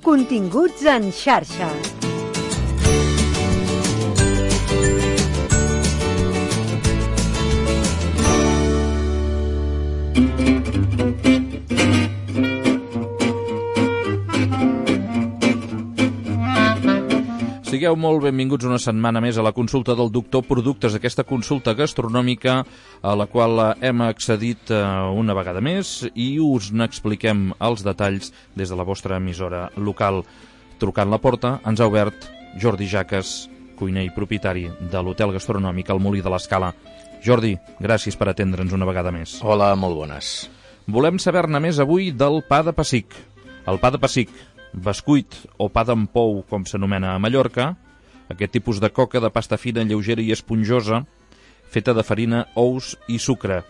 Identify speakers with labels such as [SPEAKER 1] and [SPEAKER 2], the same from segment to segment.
[SPEAKER 1] Continguts en xarxa.
[SPEAKER 2] Sigueu molt benvinguts una setmana més a la consulta del doctor Productes, aquesta consulta gastronòmica a la qual hem accedit una vegada més i us n'expliquem els detalls des de la vostra emissora local. Trucant la porta ens ha obert Jordi Jaques, cuiner i propietari de l'hotel gastronòmic El Molí de l'Escala. Jordi, gràcies per atendre'ns una vegada més.
[SPEAKER 3] Hola, molt bones.
[SPEAKER 2] Volem saber-ne més avui del pa de pessic. El pa de pessic, bescuit o pa d'empou, com s'anomena a Mallorca, aquest tipus de coca de pasta fina, lleugera i esponjosa, feta de farina, ous i sucre.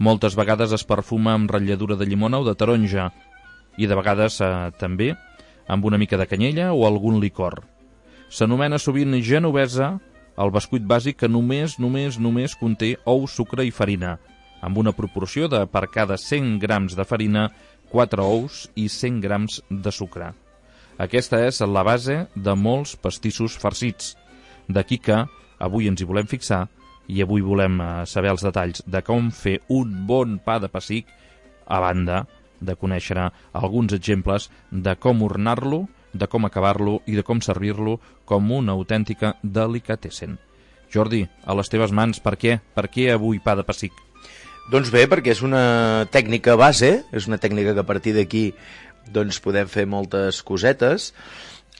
[SPEAKER 2] Moltes vegades es perfuma amb ratlladura de llimona o de taronja, i de vegades també amb una mica de canyella o algun licor. S'anomena sovint genovesa el bescuit bàsic que només conté ou, sucre i farina, amb una proporció de per cada 100 grams de farina 4 ous i 100 grams de sucre. Aquesta és la base de molts pastissos farcits. D'aquí que avui ens hi volem fixar i avui volem saber els detalls de com fer un bon pa de pessic, a banda de conèixer alguns exemples de com ornar-lo, de com acabar-lo i de com servir-lo com una autèntica delicatessen. Jordi, a les teves mans, per què? Per què avui pa de pessic?
[SPEAKER 3] Doncs bé, perquè és una tècnica base, és una tècnica que a partir d'aquí doncs podem fer moltes cosetes.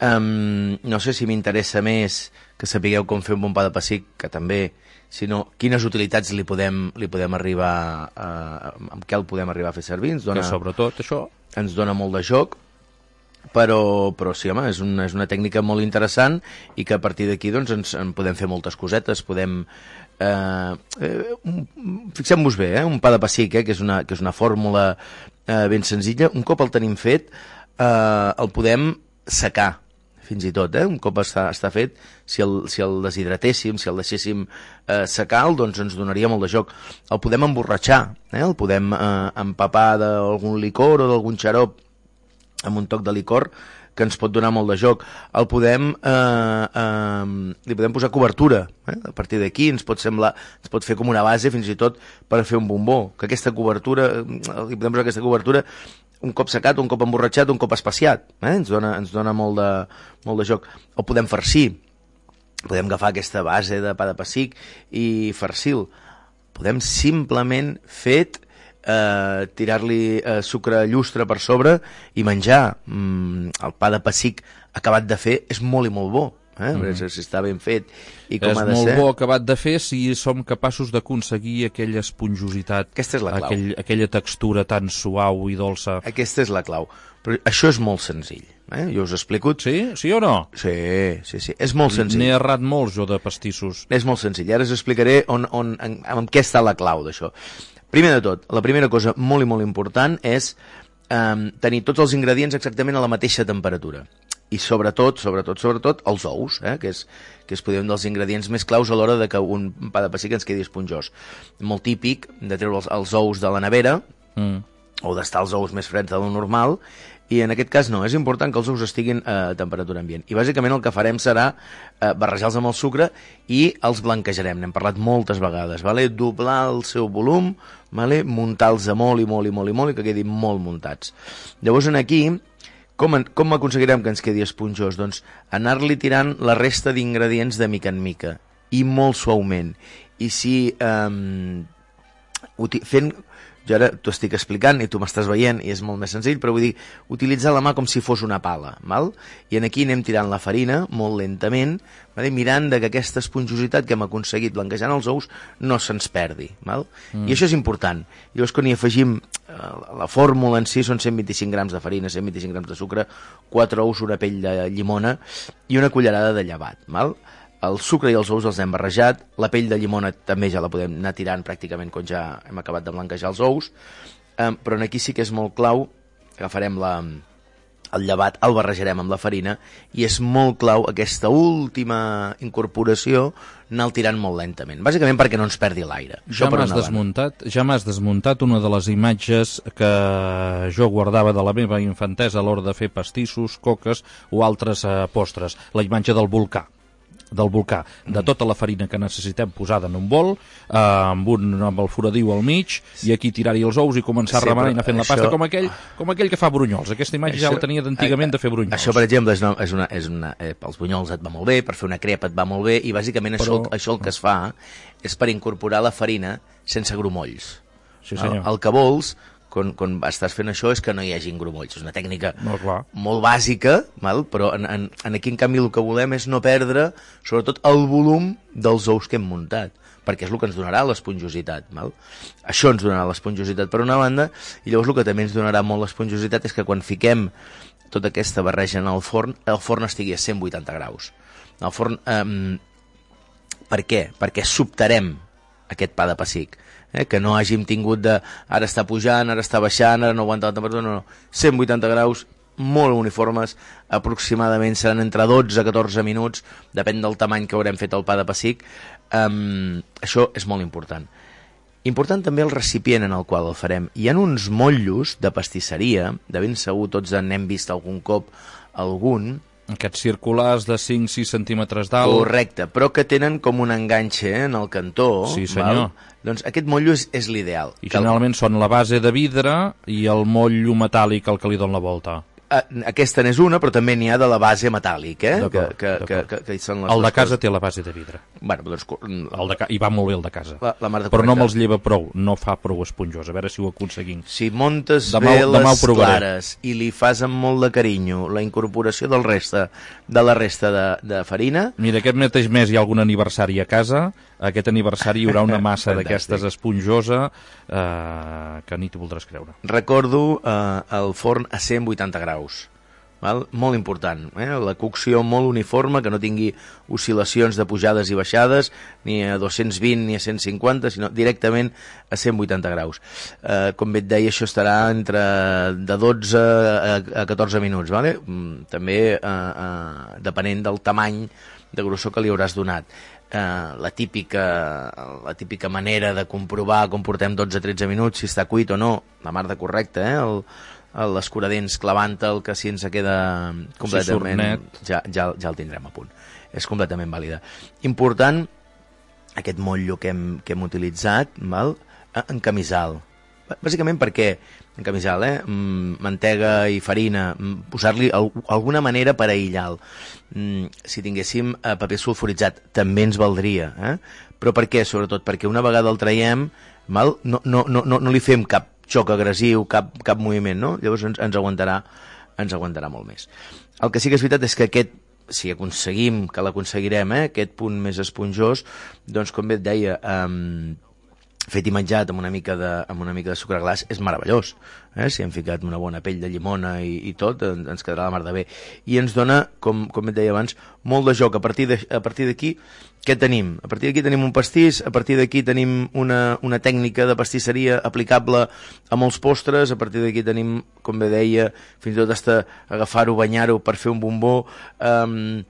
[SPEAKER 3] No sé si m'interessa més que sapigueu com fer un bon pa de pessic, que també, sinó quines utilitats li podem arribar amb què el podem arribar a fer servir.
[SPEAKER 2] Que sobretot això
[SPEAKER 3] ens dona molt de joc, però sí, home, és una tècnica molt interessant i que a partir d'aquí doncs en podem fer moltes cosetes. Podem fixem-vos bé, un pa de pessic, que és una fórmula ben senzilla. Un cop el tenim fet el podem secar fins i tot, un cop està fet, si el deshidratéssim, si el deixéssim secar, doncs ens donaria molt de joc. El podem emborratxar, el podem empapar d'algun licor o d'algun xarop amb un toc de licor que ens pot donar molt de joc. Li podem posar cobertura, a partir d'aquí ens pot fer com una base fins i tot per fer un bombó, que aquesta cobertura, li podem posar aquesta cobertura un cop secat, un cop emborratxat, un cop espaciat, ens dona molt de joc. El podem farcir, podem agafar aquesta base de pa de pessic i farcir-lo. Podem simplement tirar-li sucre llustre per sobre i menjar. El pa de pessic acabat de fer és molt i molt bo, si està ben fet i com ha de ser.
[SPEAKER 2] És molt bo acabat de fer si som capaços d'aconseguir aquella esponjositat,
[SPEAKER 3] aquesta és la clau.
[SPEAKER 2] Aquella textura tan suau i dolça.
[SPEAKER 3] Aquesta és la clau. Però això és molt senzill, jo us explico.
[SPEAKER 2] Sí? Sí o no?
[SPEAKER 3] Sí, és molt senzill.
[SPEAKER 2] N'he errat molt jo de pastissos.
[SPEAKER 3] És molt senzill, ara us explicaré en què està la clau d'això. Primer de tot, la primera cosa molt i molt important és tenir tots els ingredients exactament a la mateixa temperatura. I sobretot, els ous, que és podem dels ingredients més claus a l'hora de que un pa de pessic ens quedi esponjós. Molt típic de treure els ous de la nevera o d'estar els ous més freds de lo normal, i en aquest cas no, és important que els ous estiguin a temperatura ambient. I bàsicament el que farem serà barrejar-los amb el sucre i els blanquejarem. N'hem parlat moltes vegades, doblar el seu volum, muntar-los molt i que quedin molt muntats. Llavors aquí, com aconseguirem que ens quedi esponjós? Doncs anar-li tirant la resta d'ingredients de mica en mica i molt suaument. I si jo ara t'ho estic explicant i tu m'estàs veient i és molt més senzill, però vull dir, utilitzar la mà com si fos una pala, i aquí anem tirant la farina molt lentament, mirant que aquesta esponjositat que hem aconseguit blanquejant els ous no se'ns perdi, i això és important. Llavors quan hi afegim la fórmula en si són 125 grams de farina, 125 grams de sucre, 4 ous, una pell de llimona i una cullerada de llevat, el sucre i els ous els hem barrejat, la pell de llimona també ja la podem anar tirant pràcticament quan ja hem acabat de blanquejar els ous, però aquí sí que és molt clau, agafarem el llevat el barrejarem amb la farina i és molt clau aquesta última incorporació anar-el tirant molt lentament, bàsicament perquè no ens perdi l'aire.
[SPEAKER 2] Ja m'has desmuntat una de les imatges que jo guardava de la meva infantesa a l'hora de fer pastissos, coques o altres postres, la imatge del volcà, de tota la farina que necessitem posada en un bol, amb el foradiu al mig, i aquí tirar-hi els ous i començar a remenar i anar fent la pasta, com aquell que fa brunyols. Aquesta imatge ja la tenia d'antigament de fer brunyols.
[SPEAKER 3] Això, per exemple, pels bunyols et va molt bé, per fer una crepa et va molt bé, i bàsicament això el que es fa és per incorporar la farina sense grumolls.
[SPEAKER 2] Sí, senyor.
[SPEAKER 3] El que vols, quan estàs fent això, és que no hi hagi grumolls. És una tècnica molt bàsica, però aquí, en canvi, el que volem és no perdre, sobretot, el volum dels ous que hem muntat, perquè és el que ens donarà l'esponjositat. Això ens donarà l'esponjositat per una banda, i llavors el que també ens donarà molt l'esponjositat és que quan fiquem tota aquesta barreja en el forn estigui a 180 graus. El forn, per què? Perquè sobtarem aquest pa de pessic. Que no hàgim tingut de ara està pujant, ara està baixant, ara no aguanta la temperatura, no. 180 graus, molt uniformes, aproximadament seran entre 12 a 14 minuts, depèn del tamany que haurem fet el pa de pessic. Això és molt important. Important també el recipient en el qual el farem. Hi ha uns motllos de pastisseria, de ben segur tots n'hem vist algun cop algun,
[SPEAKER 2] aquests circulars de 5-6 centímetres d'alt.
[SPEAKER 3] Correcte, però que tenen com un enganxe en el cantó.
[SPEAKER 2] Sí, senyor.
[SPEAKER 3] Doncs aquest motllo és l'ideal.
[SPEAKER 2] I generalment són la base de vidre i el motllo metàl·lic el que li dona la volta.
[SPEAKER 3] Aquesta n'és una, però també n'hi ha de la base metàl·lic, que són les
[SPEAKER 2] el de casa té la base de vidre.
[SPEAKER 3] Doncs,
[SPEAKER 2] I va molt bé el de casa.
[SPEAKER 3] Però
[SPEAKER 2] no me'ls lleva prou, no fa prou esponjós. A veure si ho aconseguim.
[SPEAKER 3] Si montes bé les clares i li fas amb molt de carinyo la incorporació de la resta de farina...
[SPEAKER 2] Mira, aquest mateix mes hi ha algun aniversari a casa. Aquest aniversari hi haurà una massa d'aquestes esponjosa que ni t'ho voldràs creure.
[SPEAKER 3] Recordo el forn a 180 graus. Molt important, la cocció molt uniforme, que no tingui oscil·lacions de pujades i baixades, ni a 220 ni a 150, sinó directament a 180 graus. Com bé et deia, això estarà entre de 12 a 14 minuts, també depenent del tamany de grossor que li hauràs donat. La típica manera de comprovar com portem 12-13 minuts, si està cuit o no, la mar de correcte, l'escuradents clavant-el, que si ens queda completament... Ja el tindrem a punt. És completament vàlida. Important, aquest motllo que hem utilitzat, en camisal. Bàsicament perquè en camisal, mantega i farina, posar-li alguna manera per aïllar-lo. Si tinguéssim paper sulfuritzat també ens valdria, però per què? Sobretot perquè una vegada el traiem no li fem cap xoc agressiu, cap moviment, no? Llavors ens aguantarà molt més. El que sí que és veritat és que si aconseguim, que l'aconseguirem, aquest punt més esponjós, doncs com bé et deia, fet i menjat amb una mica de sucre glaç és meravellós. Si hem ficat una bona pell de llimona i tot, ens quedarà la mar de bé. I ens dona, com et deia abans, molt de joc. A partir d'aquí, què tenim? A partir d'aquí tenim un pastís, a partir d'aquí tenim una tècnica de pastisseria aplicable a molts postres, a partir d'aquí tenim, com bé deia, fins i tot hasta agafar-ho, banyar-ho per fer un bombó, un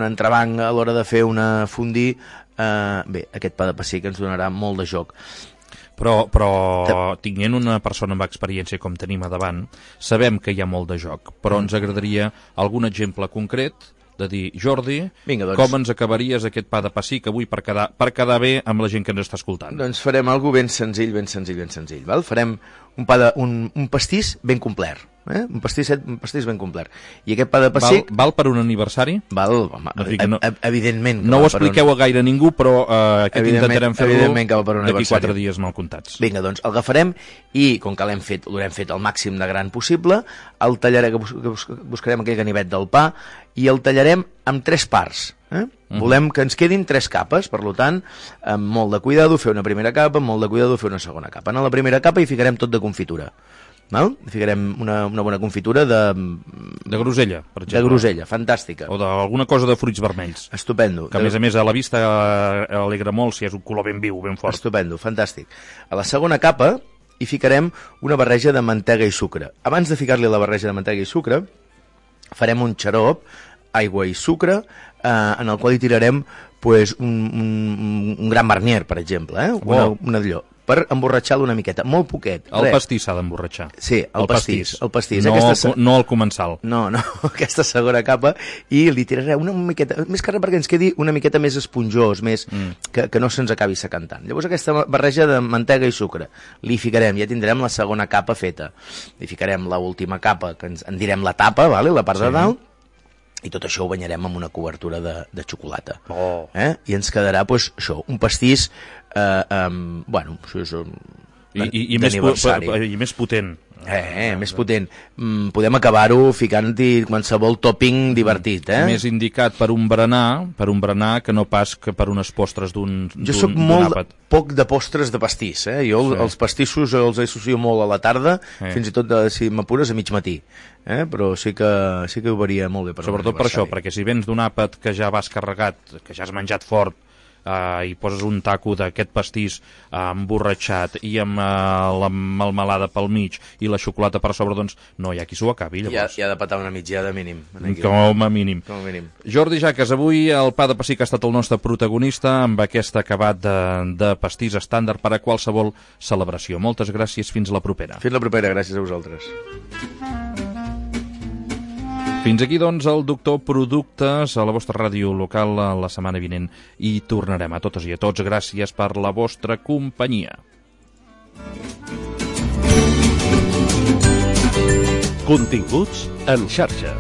[SPEAKER 3] entrebanc a l'hora de fer una fondue. Bé, aquest pa de pessic ens donarà molt de joc.
[SPEAKER 2] Però tinguent una persona amb experiència com tenim a davant, sabem que hi ha molt de joc, però ens agradaria algun exemple concret de dir, Jordi, com ens acabaries aquest pa de pessic avui per quedar bé amb la gent que ens està escoltant?
[SPEAKER 3] Doncs farem alguna cosa ben senzill. Farem un pastís ben complet. Un pastís ben complet. I aquest pa de pessic...
[SPEAKER 2] Val per un aniversari?
[SPEAKER 3] Val, evidentment.
[SPEAKER 2] No ho expliqueu a gaire ningú, però aquest intentarem fer-lo d'aquí 4 dies mal comptats.
[SPEAKER 3] Vinga, doncs el agafarem i, com que l'haurem fet el màxim de gran possible, el tallarem, buscarem aquell ganivet del pa i el tallarem amb 3 parts. Volem que ens quedin 3 capes, per tant, amb molt de cuidado fer una primera capa, amb molt de cuidado fer una segona capa. En la primera capa hi ficarem tot de confitura. Ficarem una bona confitura de
[SPEAKER 2] grosella, per exemple.
[SPEAKER 3] De grosella, fantàstica.
[SPEAKER 2] O d'alguna cosa de fruits vermells.
[SPEAKER 3] Estupendo.
[SPEAKER 2] Que a més a la vista alegra molt si és un color ben viu, ben fort.
[SPEAKER 3] Estupendo, fantàstic. A la segona capa i ficarem una barreja de mantega i sucre. Abans de ficar-li la barreja de mantega i sucre, farem un xarop, aigua i sucre, en el qual hi tirarem pues, un gran Marnier, per exemple, una d'allò, per emborratxar-lo una miqueta, molt poquet.
[SPEAKER 2] El pastís s'ha d'emborratxar.
[SPEAKER 3] Sí, el pastís.
[SPEAKER 2] No el comensal.
[SPEAKER 3] No, aquesta segona capa, i li tirarem una miqueta, més que res perquè ens quedi una miqueta més esponjós, més que no se'ns acabi secant tant. Llavors aquesta barreja de mantega i sucre li ficarem, ja tindrem la segona capa feta. Li ficarem l'última capa, que en direm la tapa, vale? La part de dalt, i tot això ho banyarem amb una cobertura de xocolata. I ens quedarà, pues, això, un pastís bueno, d'aniversari.
[SPEAKER 2] I més potent.
[SPEAKER 3] Més potent. Podem acabar-ho ficant-hi qualsevol topping divertit,
[SPEAKER 2] Més indicat per un berenar que no pas que per unes postres d'un àpat.
[SPEAKER 3] Jo soc molt poc de postres de pastís, Jo els pastissos els associo molt a la tarda, fins i tot, si m'apures, a mig matí. Però sí que ho varia molt bé per
[SPEAKER 2] sobretot per això, perquè si vens d'un àpat que ja vas carregat, que ja has menjat fort, i poses un taco d'aquest pastís emborratxat i amb la melmelada pel mig i la xocolata per sobre, doncs no hi ha qui s'ho acabi, llavors.
[SPEAKER 3] Hi ha de petar una mitjada mínim.
[SPEAKER 2] Com a mínim. Jordi Jaques, avui el pa de pessic ha estat el nostre protagonista amb aquest acabat de pastís estàndard per a qualsevol celebració. Moltes gràcies, fins la propera.
[SPEAKER 3] Fins la propera, gràcies a vosaltres.
[SPEAKER 2] Fins aquí, doncs, el Doctor Productes a la vostra ràdio local la setmana vinent i tornarem. A totes i a tots, gràcies per la vostra companyia.
[SPEAKER 4] Continguts en xarxa.